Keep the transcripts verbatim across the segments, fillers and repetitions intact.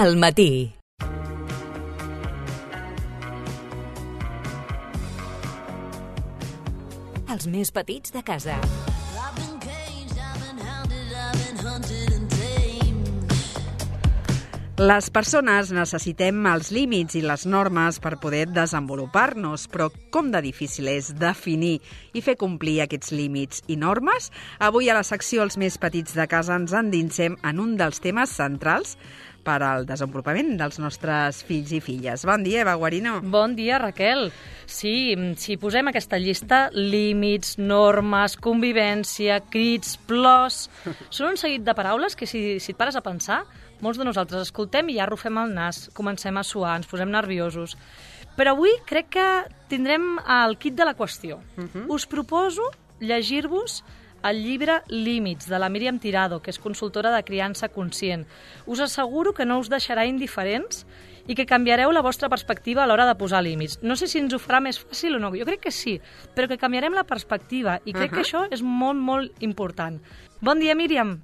Al matí. Els més petits de casa. Les persones necessitem els límits i les normes per poder desenvolupar-nos, però com de difícil és definir i fer complir aquests límits i normes? Avui a la secció Els més petits de casa ens endinsem en un dels temes centrals per al desenvolupament dels nostres fills i filles. Bon dia, Eva Guarino. Bon dia, Raquel. Sí, si posem aquesta llista, límits, normes, convivència, crits, plors... Són un seguit de paraules que, si, si et pares a pensar, molts de nosaltres escoltem i ja arrufem el nas, comencem a suar, ens posem nerviosos. Però avui crec que tindrem el kit de la qüestió. Uh-huh. Us proposo llegir-vos el llibre Límits, de la Míriam Tirado, que és consultora de criança conscient. Us asseguro que no us deixarà indiferents i que canviareu la vostra perspectiva a l'hora de posar límits. No sé si ens ho farà més fàcil o no, jo crec que sí, però que canviarem la perspectiva i crec uh-huh. que això és molt, molt important. Bon dia, Míriam.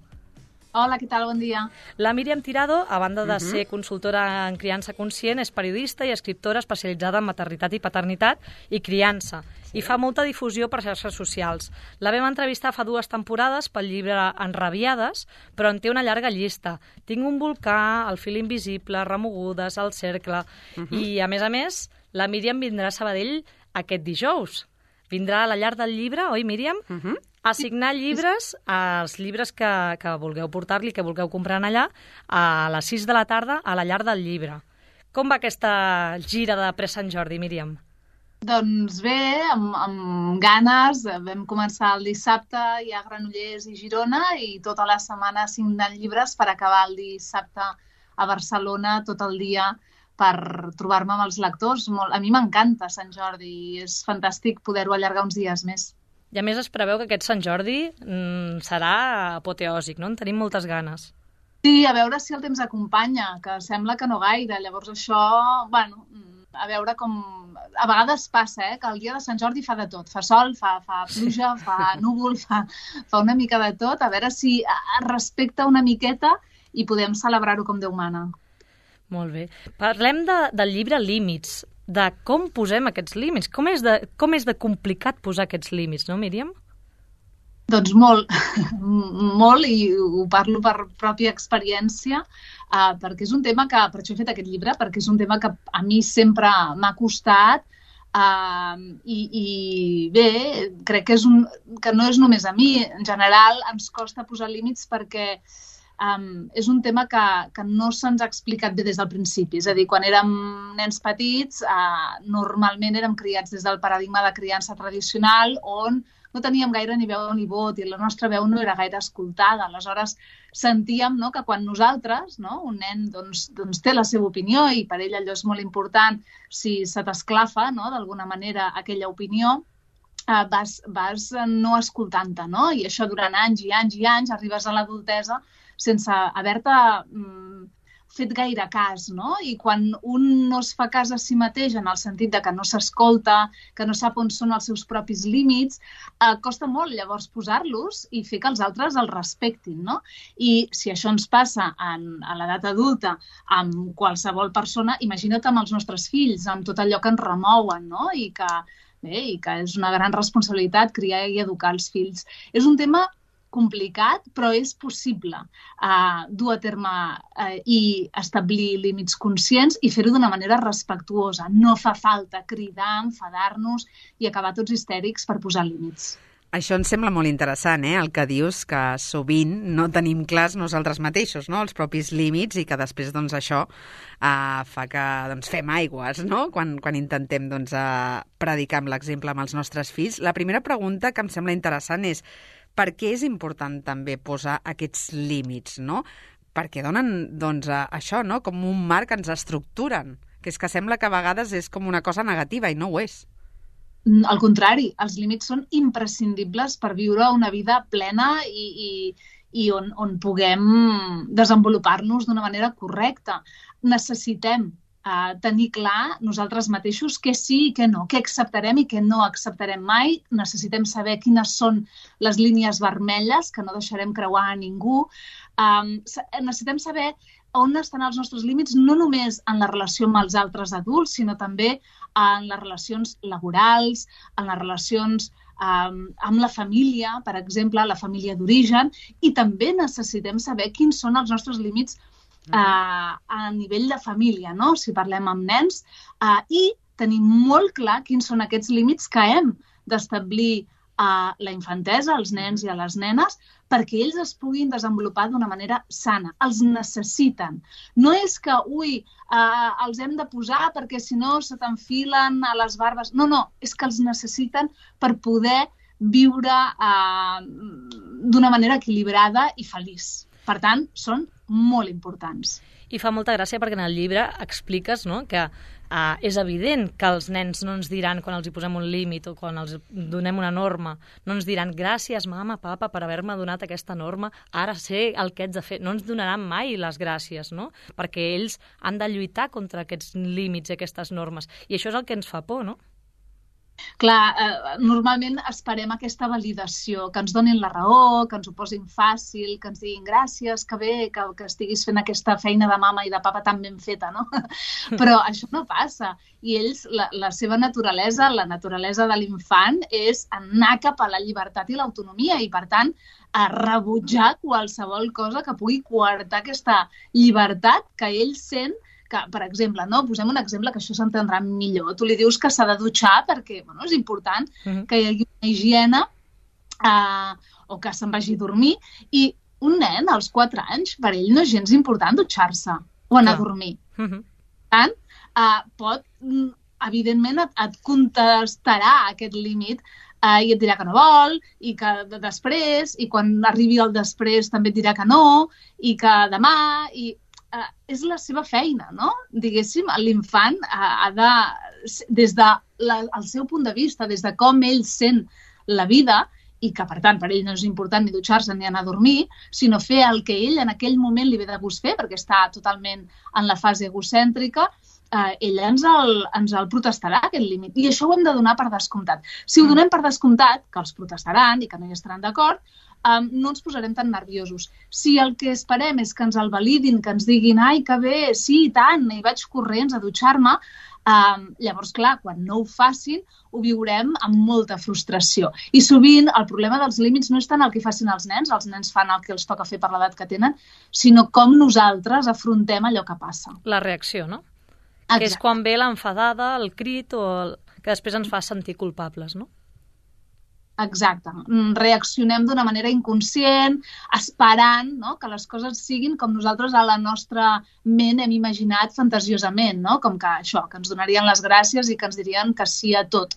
Hola, què tal? Bon dia. La Míriam Tirado, a banda de Uh-huh. ser consultora en criança conscient, és periodista i escriptora especialitzada en maternitat i paternitat i criança, sí. I fa molta difusió per xarxes socials. La vam entrevistar fa dues temporades pel llibre Enrabiades, però en té una llarga llista. Tinc un volcà, El fil invisible, Remogudes, El cercle... Uh-huh. I, a més a més, la Míriam vindrà a Sabadell aquest dijous. Vindrà a la llar del llibre, oi, Míriam? Uh-huh. A signar llibres, els llibres que, que vulgueu portar-li, que vulgueu comprar allà, a les sis de la tarda a la llar del llibre. Com va aquesta gira de pre-Sant Jordi, Míriam? Doncs bé, amb, amb ganes. Vam començar el dissabte, hi ha Granollers i Girona, i tota la setmana signant llibres per acabar el dissabte a Barcelona tot el dia per trobar-me amb els lectors. Molt, a mi m'encanta Sant Jordi i és fantàstic poder-ho allargar uns dies més. I a més es preveu que aquest Sant Jordi mm, serà apoteòsic, no? En tenim moltes ganes. Sí, a veure si el temps acompanya, que sembla que no gaire. Llavors això, bueno, a veure com... A vegades passa, eh, que el dia de Sant Jordi fa de tot. Fa sol, fa, fa pluja, fa núvol, fa, fa una mica de tot. A veure si es respecta una miqueta i podem celebrar-ho com Déu mana. Molt bé. Parlem de, del llibre Límits, de com posem aquests límits. Com és, de, com és de complicat posar aquests límits, no, Míriam? Doncs molt, molt, i ho parlo per pròpia experiència, uh, perquè és un tema que, per això he fet aquest llibre, perquè és un tema que a mi sempre m'ha costat, uh, i, i bé, crec que, és un, que no és només a mi, en general ens costa posar límits perquè Um, és un tema que, que no se'ns ha explicat bé des del principi. És a dir, quan érem nens petits, uh, normalment érem criats des del paradigma de criança tradicional, on no teníem gaire ni veu ni vot i la nostra veu no era gaire escoltada. Aleshores, sentíem, no, que quan nosaltres, no, un nen doncs, doncs té la seva opinió i per ell allò és molt important, si se t'esclafa, no, d'alguna manera aquella opinió, uh, vas, vas no escoltant-te, no? I això durant anys i anys i anys, arribes a l'adultesa sense haver-te mm, fet gaire cas, no? I quan un no es fa cas a si mateix en el sentit de que no s'escolta, que no sap on són els seus propis límits, eh, costa molt llavors posar-los i fer que els altres els respectin, no? I si això ens passa en, a l'edat adulta amb qualsevol persona, imagina't amb els nostres fills, amb tot allò que ens remouen, no? I que, bé, i que és una gran responsabilitat criar i educar els fills. És un tema complicat, però és possible uh, dur a terme uh, i establir límits conscients i fer-ho d'una manera respectuosa. No fa falta cridar, enfadar-nos i acabar tots histèrics per posar límits. Això ens sembla molt interessant, eh? El que dius, que sovint no tenim clars nosaltres mateixos, no? Els propis límits, i que després doncs, això uh, fa que doncs, fem aigües, no? Quan, quan intentem doncs, uh, predicar amb l'exemple amb els nostres fills. La primera pregunta que em sembla interessant és per què és important també posar aquests límits, no? Perquè donen, doncs, això, no? Com un marc que ens estructuren, que és que sembla que a vegades és com una cosa negativa i no ho és. Al contrari, els límits són imprescindibles per viure una vida plena i, i, i on, on puguem desenvolupar-nos d'una manera correcta. Necessitem Uh, tenir clar nosaltres mateixos què sí i què no, què acceptarem i què no acceptarem mai. Necessitem saber quines són les línies vermelles que no deixarem creuar a ningú. Um, necessitem saber on estan els nostres límits, no només en la relació amb els altres adults, sinó també en les relacions laborals, en les relacions um, amb la família, per exemple, la família d'origen, i també necessitem saber quins són els nostres límits uh, a nivell de família, no? Si parlem amb nens, uh, i tenim molt clar quins són aquests límits que hem d'establir a la infantesa, als nens i a les nenes, perquè ells es puguin desenvolupar d'una manera sana. Els necessiten. No és que, ui, eh, els hem de posar perquè si no se t'enfilen a les barbes. No, no, és que els necessiten per poder viure eh, d'una manera equilibrada i feliç. Per tant, són molt importants. I fa molta gràcia perquè en el llibre expliques, no?, que uh, és evident que els nens no ens diran, quan els hi posem un límit o quan els donem una norma, no ens diran gràcies, mama, papa, per haver-me donat aquesta norma, ara sé el que haig de fer. No ens donaran mai les gràcies, no?, perquè ells han de lluitar contra aquests límits i aquestes normes. I això és el que ens fa por, no? Clar, eh, normalment esperem aquesta validació, que ens donin la raó, que ens ho posin fàcil, que ens diguin gràcies, que bé, que, que estiguis fent aquesta feina de mama i de papa tan ben feta, no? Però això no passa. I ells, la, la seva naturalesa, la naturalesa de l'infant és anar cap a la llibertat i l'autonomia i, per tant, a rebutjar qualsevol cosa que pugui coartar aquesta llibertat que ell sent, que, per exemple, no? Posem un exemple que això s'entendrà millor. Tu li dius que s'ha de dutxar perquè bueno, és important uh-huh. que hi hagi una higiene uh, o que se'n vagi a dormir. I un nen, als quatre anys, per ell no és gens important dutxar-se o anar uh-huh. a dormir. Uh-huh. Per tant, uh, pot, evidentment, et, et contestarà aquest límit uh, i et dirà que no vol, i que després, i quan arribi el després també et dirà que no, i que demà... i Uh, és la seva feina, no? Diguéssim, l'infant uh, ha de, des del de seu punt de vista, des de com ell sent la vida, i que, per tant, per ell no és important ni dutxar-se ni anar a dormir, sinó fer el que ell en aquell moment li ve de gust fer, perquè està totalment en la fase egocèntrica, uh, ell ens el, ens el protestarà, aquest límit. I això ho hem de donar per descomptat. Si ho donem per descomptat, que els protestaran i que no hi estaran d'acord, Um, no ens posarem tan nerviosos. Si el que esperem és que ens el validin, que ens diguin ai, que bé, sí, i tant, i vaig corrents a dutxar-me, um, llavors, clar, quan no ho facin, ho viurem amb molta frustració. I sovint el problema dels límits no és tant el que facin els nens, els nens fan el que els toca fer per l'edat que tenen, sinó com nosaltres afrontem allò que passa. La reacció, no? Exacte. Que és quan ve l'enfadada, el crit, o el... que després ens fa sentir culpables, no? Exacte. Reaccionem d'una manera inconscient, esperant, no?, que les coses siguin com nosaltres a la nostra ment hem imaginat fantasiosament, no? Com que això, que ens donarien les gràcies i que ens dirien que sí a tot.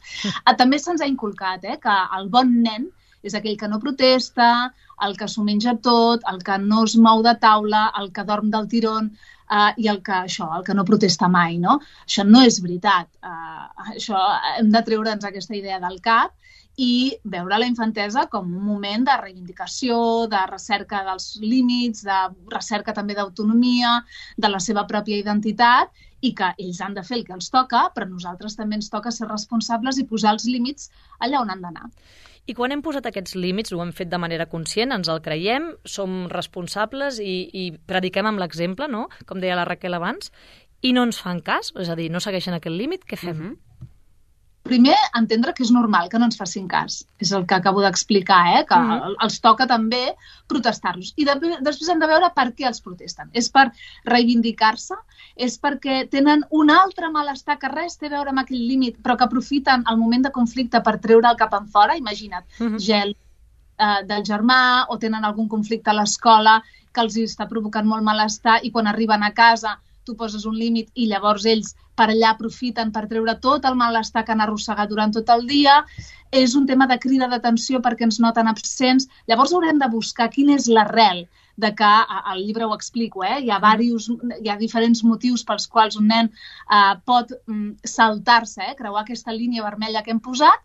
També se'ns ha inculcat eh, que el bon nen és aquell que no protesta, el que s'ho menja tot, el que no es mou de taula, el que dorm del tirón, Uh, i el que, això, el que no protesta mai, no? Això no és veritat. Uh, això hem de treure'ns aquesta idea del cap i veure la infantesa com un moment de reivindicació, de recerca dels límits, de recerca també d'autonomia, de la seva pròpia identitat, i que ells han de fer el que els toca, però a nosaltres també ens toca ser responsables i posar els límits allà on han d'anar. I quan hem posat aquests límits, ho hem fet de manera conscient, ens el creiem, som responsables i, i prediquem amb l'exemple, no?, com deia la Raquel abans, i no ens fan cas, és a dir, no segueixen aquest límit, què fem? Mm-hmm. Primer, entendre que és normal que no ens facin cas. És el que acabo d'explicar, eh? Que mm-hmm. els toca també protestar-los. I de, després hem de veure per què els protesten. És per reivindicar-se? És perquè tenen un altre malestar que res té a veure amb aquell límit, però que aprofiten el moment de conflicte per treure el cap en fora? Imagina't, mm-hmm. gel eh, del germà, o tenen algun conflicte a l'escola que els està provocant molt malestar i quan arriben a casa tu poses un límit i llavors ells per allà aprofiten per treure tot el malestar que han arrossegat durant tot el dia. És un tema de crida d'atenció perquè ens noten absents. Llavors haurem de buscar quina és l'arrel de que, al llibre ho explico, eh? hi, ha diversos, hi ha diferents motius pels quals un nen eh, pot mm, saltar-se, eh? creuar aquesta línia vermella que hem posat,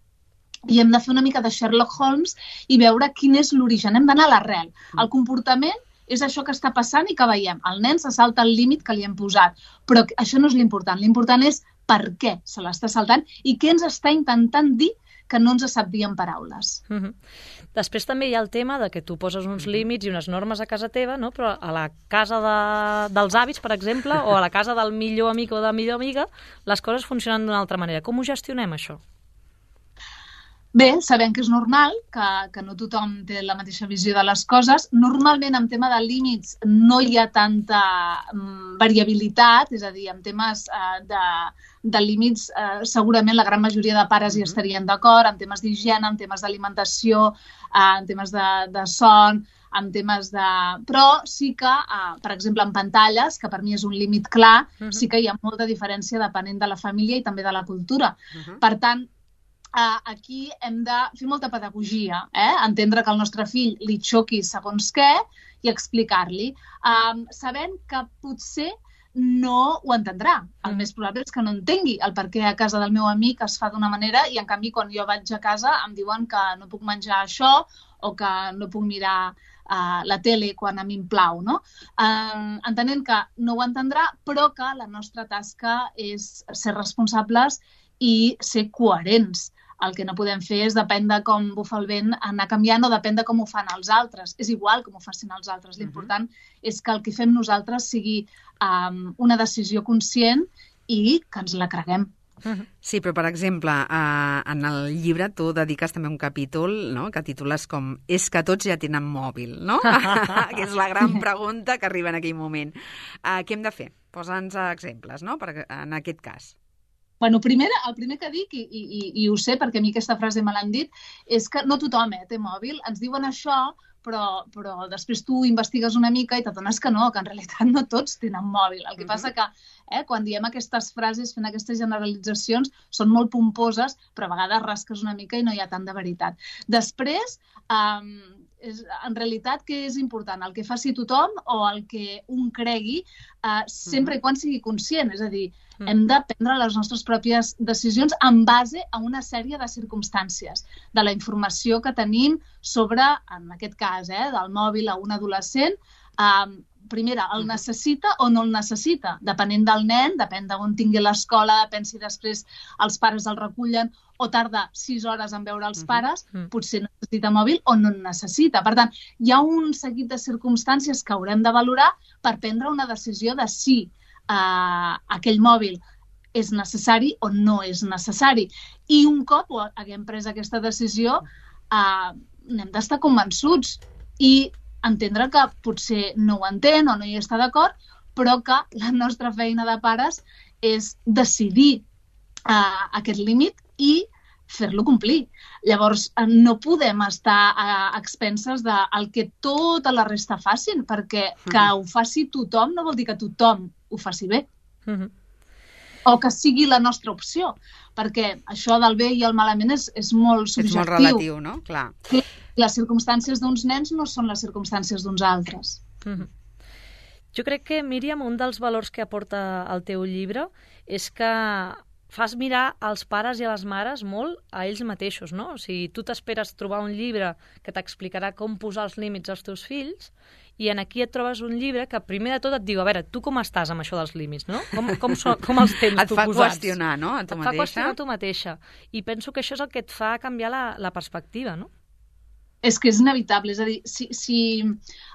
i hem de fer una mica de Sherlock Holmes i veure quin és l'origen. Hem d'anar a l'arrel. El comportament és això que està passant i que veiem. El nen se salta el límit que li hem posat, però això no és l'important. L'important és per què se l'està saltant i què ens està intentant dir que no ens sap dir en paraules. Uh-huh. Després també hi ha el tema de que tu poses uns límits i unes normes a casa teva, no? Però a la casa de, dels avis, per exemple, o a la casa del millor amic o de la millor amiga, les coses funcionen d'una altra manera. Com ho gestionem, això? Bé, sabem que és normal, que, que no tothom té la mateixa visió de les coses. Normalment, en tema de límits, no hi ha tanta um, variabilitat, és a dir, en temes uh, de, de límits, uh, segurament la gran majoria de pares hi estarien d'acord, en temes d'higiene, en temes d'alimentació, uh, en temes de, de son, en temes de... Però sí que, uh, per exemple, en pantalles, que per mi és un límit clar, uh-huh. sí que hi ha molta diferència depenent de la família i també de la cultura. Uh-huh. Per tant, Uh, aquí hem de fer molta pedagogia, eh? Entendre que al nostre fill li xoqui segons què i explicar-li, um, sabent que potser no ho entendrà. El més probable és que no entengui el per què a casa del meu amic es fa d'una manera i, en canvi, quan jo vaig a casa em diuen que no puc menjar això o que no puc mirar uh, la tele quan a mi em plau, no? Uh, entenent que no ho entendrà, però que la nostra tasca és ser responsables i ser coherents. El que no podem fer és, depèn de com bufa el vent, anar canviant o depèn de com ho fan els altres. És igual com ho facin els altres. L'important uh-huh. és que el que fem nosaltres sigui um, una decisió conscient i que ens la creguem. Uh-huh. Sí, però, per exemple, uh, en el llibre tu dediques també un capítol, no?, que titules com "És que tots ja tenen mòbil", no? Que és la gran pregunta que arriba en aquell moment. Uh, què hem de fer? Posa'ns exemples, no?, per, en aquest cas. Bueno, primer, el primer que dic, i, i, i ho sé perquè a mi aquesta frase me l'han dit, és que no tothom eh, té mòbil. Ens diuen això, però, però després tu investigues una mica i t'adones que no, que en realitat no tots tenen mòbil. El que uh-huh. passa que eh, quan diem aquestes frases, fent aquestes generalitzacions, són molt pomposes, però a vegades rasques una mica i no hi ha tant de veritat. Després, um, és, en realitat, què és important? El que faci tothom o el que un cregui, uh, sempre uh-huh. i quan sigui conscient, és a dir, Mm. hem de prendre les nostres pròpies decisions en base a una sèrie de circumstàncies, de la informació que tenim sobre, en aquest cas, eh, del mòbil a un adolescent. Eh, primera, el necessita o no el necessita? Depenent del nen, depèn d'on tingui l'escola, depèn si després els pares el recullen o tarda sis hores en veure els pares, mm. potser necessita mòbil o no en necessita. Per tant, hi ha un seguit de circumstàncies que haurem de valorar per prendre una decisió de si Uh, aquell mòbil és necessari o no és necessari. I un cop haguem pres aquesta decisió, uh, n'hem d'estar convençuts i entendre que potser no ho entén o no hi està d'acord, però que la nostra feina de pares és decidir uh, aquest límit i fer-lo complir. Llavors, no podem estar a expenses del que tota la resta facin, perquè que ho faci tothom no vol dir que tothom ho faci bé. Uh-huh. O que sigui la nostra opció, perquè això del bé i el malament és, és molt subjectiu. És molt relatiu, no? Clar. Les circumstàncies d'uns nens no són les circumstàncies d'uns altres. Uh-huh. Jo crec que, Míriam, un dels valors que aporta el teu llibre és que fas mirar als pares i a les mares molt a ells mateixos, no? O sigui, tu t'esperes trobar un llibre que t'explicarà com posar els límits als teus fills i en aquí et trobes un llibre que primer de tot et diu, a veure, tu com estàs amb això dels límits, no? Com, com, so, com els tens tu posats? Et fa qüestionar, no?, a tu mateixa. Et fa qüestionar a tu mateixa. I penso que això és el que et fa canviar la, la perspectiva, no? És que és inevitable, és a dir, si, si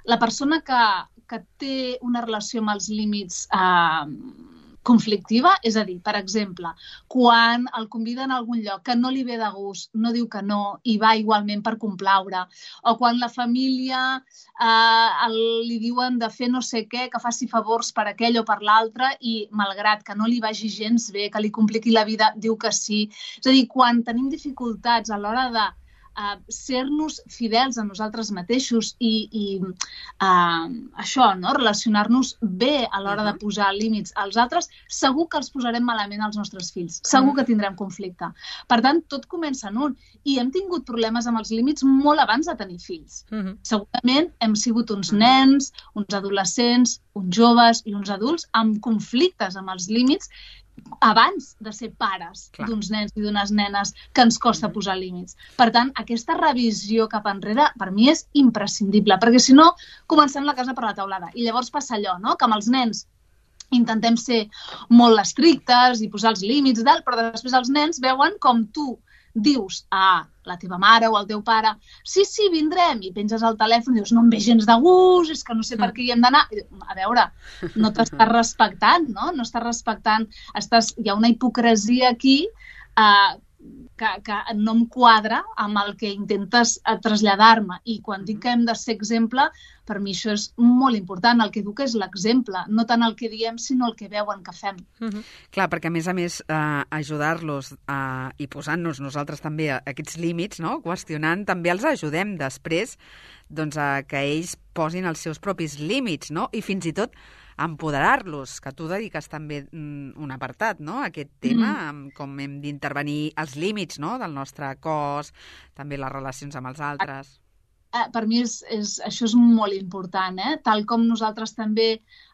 la persona que, que té una relació amb els límits eh, conflictiva, és a dir, per exemple, quan el conviden a algun lloc que no li ve de gust, no diu que no i va igualment per complaure, o quan la família eh, el, li diuen de fer no sé què, que faci favors per aquell o per l'altre i, malgrat que no li vagi gens bé, que li compliqui la vida, diu que sí. És a dir, quan tenim dificultats a l'hora de Uh, ser-nos fidels a nosaltres mateixos i, i uh, això, no? Relacionar-nos bé a l'hora uh-huh. de posar límits als altres, segur que els posarem malament als nostres fills. Segur uh-huh. que tindrem conflicte. Per tant, tot comença en un. I hem tingut problemes amb els límits molt abans de tenir fills. Uh-huh. Segurament hem sigut uns uh-huh. nens, uns adolescents, uns joves i uns adults amb conflictes amb els límits abans de ser pares d'uns nens i d'unes nenes que ens costa posar límits. Per tant, aquesta revisió cap enrere per mi és imprescindible, perquè si no, comencem la casa per la teulada. I llavors passa allò, no?, que amb els nens intentem ser molt estrictes i posar els límits, dalt, però després els nens veuen com tu dius a la teva mare o al teu pare, sí, sí, vindrem, i penges el telèfon i dius, no em ve gens de gust, és que no sé per què hi hem d'anar. A veure, no t'estàs respectant, no? No estàs respectant, estàs... hi ha una hipocresia aquí eh, que, que no em quadra amb el que intentes traslladar-me. I quan dic que hem de ser exemple, per mi això és molt important. El que educa és l'exemple, no tant el que diem, sinó el que veuen que fem. Uh-huh. Clar, perquè a més a més eh, ajudar-los eh, i posant-nos nosaltres també aquests límits, no? Qüestionant, també els ajudem després doncs, a que ells posin els seus propis límits, no? I fins i tot empoderar-los, que tu dediques també un apartat, no?, a aquest tema, mm. com hem d'intervenir els límits, no?, del nostre cos, també les relacions amb els altres. Per mi és, és, això és molt important, eh? Tal com nosaltres també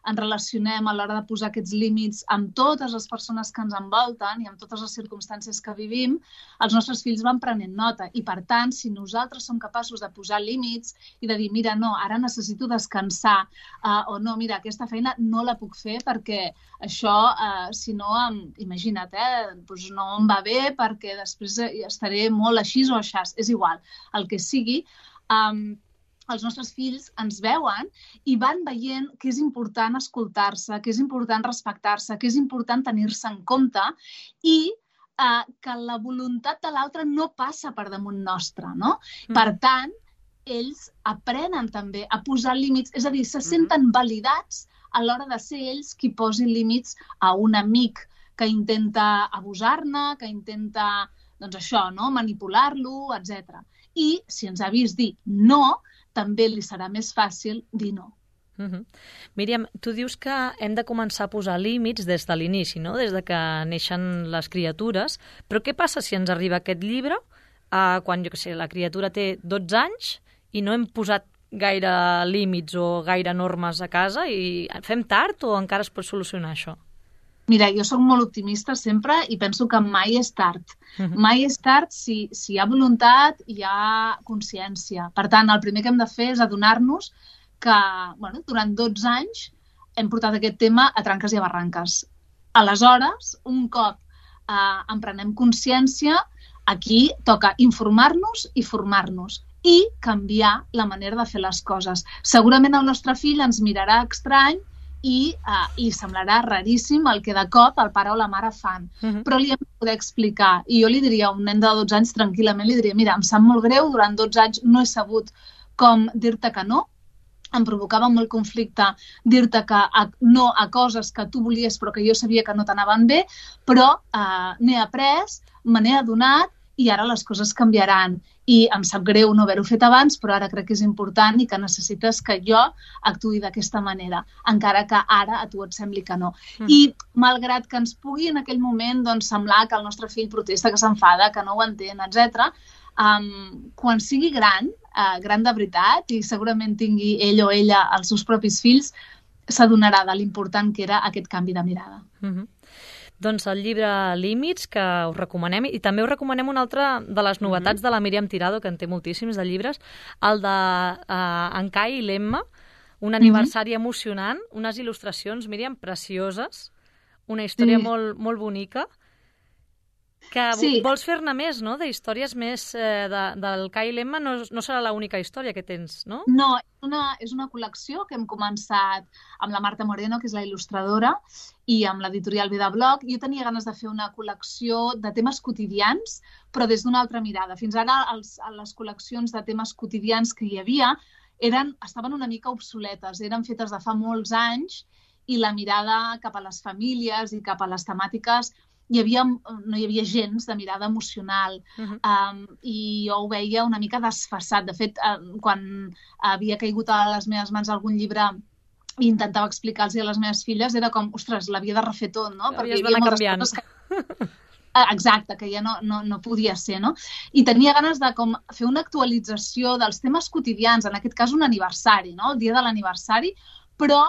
ens relacionem a l'hora de posar aquests límits amb totes les persones que ens envolten i amb totes les circumstàncies que vivim, els nostres fills van prenent nota. I, per tant, si nosaltres som capaços de posar límits i de dir, mira, no, ara necessito descansar, uh, o no, mira, aquesta feina no la puc fer perquè això, uh, si no, um, imagina't, eh, doncs no em va bé perquè després estaré molt així o així, és igual, el que sigui. Um, els nostres fills ens veuen i van veient que és important escoltar-se, que és important respectar-se, que és important tenir-se en compte i uh, que la voluntat de l'altre no passa per damunt nostre, no? Mm. Per tant, ells aprenen també a posar límits, és a dir, se senten validats a l'hora de ser ells qui posin límits a un amic que intenta abusar-ne, que intenta, doncs això, no? Manipular-lo, etcètera. I si ens ha vist dir no, també li serà més fàcil dir no. Uh-huh. Míriam, tu dius que hem de començar a posar límits des de l'inici, no? Des de que neixen les criatures, però què passa si ens arriba aquest llibre uh, quan, jo què sé, la criatura té dotze anys i no hem posat gaire límits o gaire normes a casa i fem tard o encara es pot solucionar això? Mira, jo sóc molt optimista sempre i penso que mai és tard. Uh-huh. Mai és tard si, si hi ha voluntat i hi ha consciència. Per tant, el primer que hem de fer és adonar-nos que bueno, durant dotze anys hem portat aquest tema a tranques i a barranques. Aleshores, un cop eh, en prenem consciència, aquí toca informar-nos i formar-nos i canviar la manera de fer les coses. Segurament el nostre fill ens mirarà estrany i uh, li semblarà raríssim el que de cop el pare o la mare fan. Uh-huh. Però li hem de poder explicar. I jo li diria a un nen de dotze anys tranquil·lament, li diria, mira, em sap molt greu, durant dotze anys no he sabut com dir-te que no, em provocava molt conflicte dir-te que a, no a coses que tu volies però que jo sabia que no t'anaven bé, però uh, n'he après, me n'he adonat i ara les coses canviaran. I em sap greu no haver-ho fet abans, però ara crec que és important i que necessites que jo actuï d'aquesta manera, encara que ara a tu et sembli que no. Mm. I malgrat que ens pugui en aquell moment doncs, semblar que el nostre fill protesta, que s'enfada, que no ho entén, etcètera, um, quan sigui gran, uh, gran de veritat, i segurament tingui ell o ella els seus propis fills, s'adonarà de l'important que era aquest canvi de mirada. Mm-hmm. Doncs el llibre Límits, que us recomanem, i també us recomanem una altra de les novetats mm-hmm. de la Míriam Tirado, que en té moltíssims de llibres, el de uh, en Kai i l'Emma, un aniversari mm-hmm. emocionant, unes il·lustracions, Míriam, precioses, una història sí. molt, molt bonica, que sí. vols fer-ne més, no?, de històries més eh, de, del Kai i l'Emma, no, no serà l'única història que tens, no? No, és una, és una col·lecció que hem començat amb la Marta Moreno, que és la il·lustradora, i amb l'editorial Vida Blog. Jo tenia ganes de fer una col·lecció de temes quotidians, però des d'una altra mirada. Fins ara els, les col·leccions de temes quotidians que hi havia eren, estaven una mica obsoletes, eren fetes de fa molts anys i la mirada cap a les famílies i cap a les temàtiques hi havia, no hi havia gens de mirada emocional. Uh-huh. um, i jo ho veia una mica desfasat. De fet, uh, quan havia caigut a les meves mans algun llibre i intentava explicar-los a les meves filles, era com, ostres, l'havia de refer tot, no? Perquè hi havia moltes coses que... Exacte, que ja no, no, no podia ser, no? I tenia ganes de com fer una actualització dels temes quotidians, en aquest cas un aniversari, no? El dia de l'aniversari, però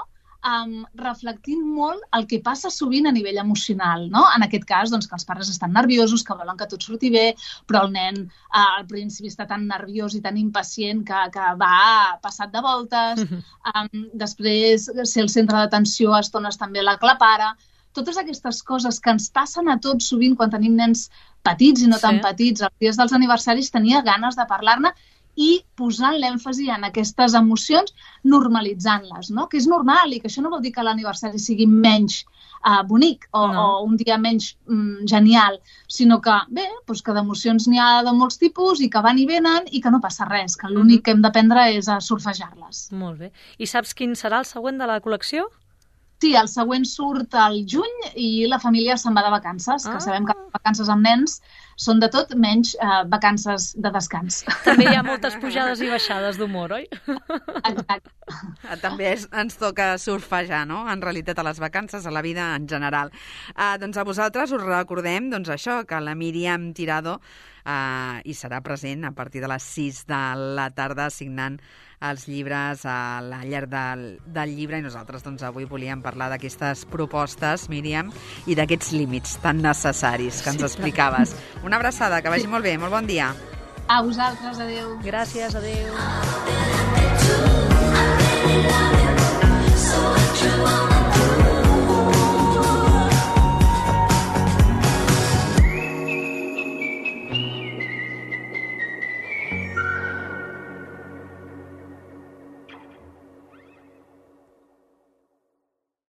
Um, reflectint molt el que passa sovint a nivell emocional, no? En aquest cas, doncs, que els pares estan nerviosos, que volen que tot surti bé, però el nen uh, al principi està tan nerviós i tan impacient que, que va passat de voltes, um, després ser el centre d'atenció a estones també l'aclapara. totes aquestes coses que ens passen a tots sovint quan tenim nens petits i no Sí. tan petits, els dies dels aniversaris tenia ganes de parlar-ne i posant l'èmfasi en aquestes emocions, normalitzant-les, no? Que és normal i que això no vol dir que l'aniversari sigui menys uh, bonic o, No. o un dia menys mm, genial, sinó que, bé, doncs que d'emocions n'hi ha de molts tipus i que van i venen i que no passa res, que l'únic que hem d'aprendre és a surfejar-les. Molt bé. I saps quin serà el següent de la col·lecció? Sí, el següent surt al juny i la família se'n va de vacances, Ah. que sabem que les vacances amb nens són de tot menys eh, vacances de descans. També hi ha moltes pujades i baixades d'humor, oi? Exacte. També és, ens toca surfejar, no?, en realitat, a les vacances, a la vida en general. Uh, doncs a vosaltres us recordem doncs això, que la Míriam Tirado uh, hi serà present a partir de les sis de la tarda signant els llibres a la llar del, del llibre, i nosaltres doncs avui volíem parlar d'aquestes propostes, Míriam, i d'aquests límits tan necessaris que ens explicaves. Una abraçada, que vagi molt bé, molt bon dia. A vosaltres, adeu. Gràcies, adéu. So true.